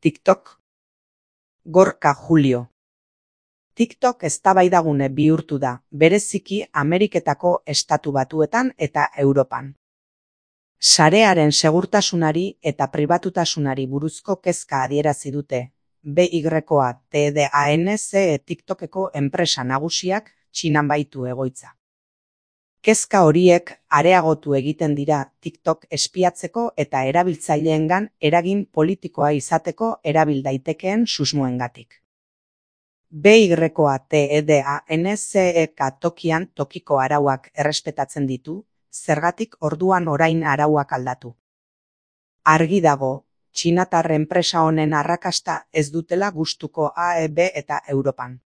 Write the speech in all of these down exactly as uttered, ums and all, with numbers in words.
TikTok. Gorka Julio. TikTok eztabaidagune bihurtu da, bereziki Ameriketako Estatu Batuetan eta Europan. Sarearen segurtasunari eta pribatutasunari buruzko kezka adierazi dute, B Y T D A N C E TikTokeko enpresa nagusiak Txinan baitu egoitza. Kezka horiek areagotu egiten dira TikTok espiatzeko eta erabiltzaileengan eragin politikoa izateko erabil daitekeen susmoengatik. B Y T D A N C E tokian tokiko arauak errespetatzen ditu, zergatik orduan orain arauak aldatu. Argi dago, txinatar enpresa honen arrakasta ez dutela gustuko A E B eta Europan.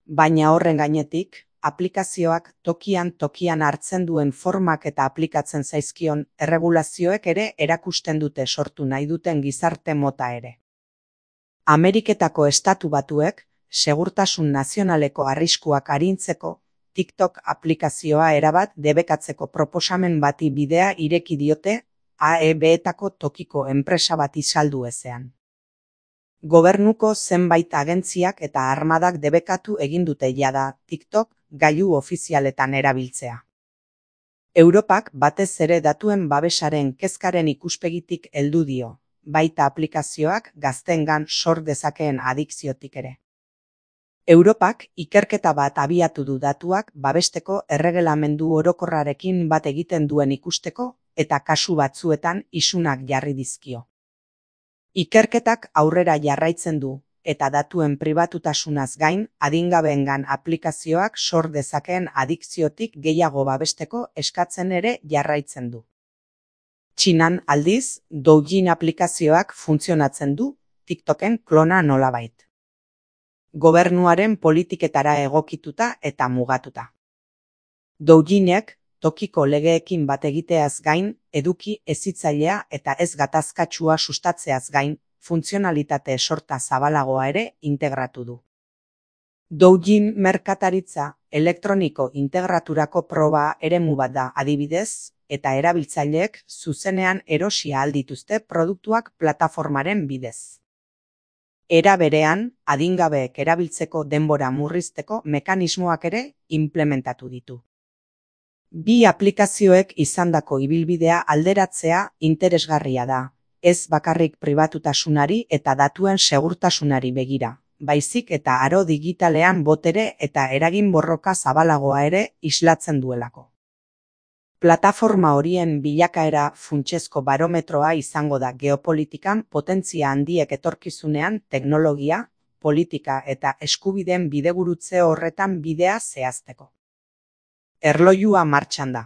Baina horren gainetik, aplikazioak tokian tokian hartzen duen formak eta aplikatzen zaizkion erregulazioek ere erakusten dute sortu nahi duten gizarte mota ere. Ameriketako Estatu Batuek, segurtasun nazionaleko arriskuak arintzeko, TikTok aplikazioa erabat debekatzeko proposamen bati bidea ireki diote A E B-etako tokiko enpresa bati saldu ezean. Gobernuko zenbait agentziak eta armadak debekatu egin dute jada TikTok gailu ofizialetan erabiltzea. Europak batez ere datuen babesaren kezkaren ikuspegitik heldu dio, baita aplikazioak gazteengan sor dezakeen adikziotik ere. Europak ikerketa bat abiatu du datuak babesteko erregelamendu orokorrarekin bat egiten duen ikusteko eta kasu batzuetan isunak jarri dizkio. Ikerketak aurrera jarraitzen du eta datuen pribatutasunaz gain adingabeengan aplikazioak sor dezakeen adikziotik gehiago babesteko eskatzen ere jarraitzen du. Txinan aldiz, Douyin aplikazioak funtzionatzen du TikToken klona nolabait. Gobernuaren politiketara egokituta eta mugatuta. Douyinek tokiko legeekin bat egiteaz gain, eduki hezitzailea eta ez gatazkatsua sustatzeaz gain, funtzionalitate sorta zabalagoa ere integratu du. Douyin merkataritza elektroniko integraturako proba eremu bat da adibidez, eta erabiltzaileek zuzenean erosi ahal dituzte produktuak plataformaren bidez. Era berean, adingabeek erabiltzeko denbora murrizteko mekanismoak ere implementatu ditu. Bi aplikazioek izandako ibilbidea alderatzea interesgarria da, ez bakarrik pribatutasunari eta datuen segurtasunari begira, baizik eta aro digitalean botere eta eragin borroka zabalagoa ere islatzen duelako. Plataforma horien bilakaera funtsezko barometroa izango da geopolitikan potentzia handiek etorkizunean teknologia, politika eta eskubideen bidegurutze horretan bidea zehazteko. Erlojua martxan da.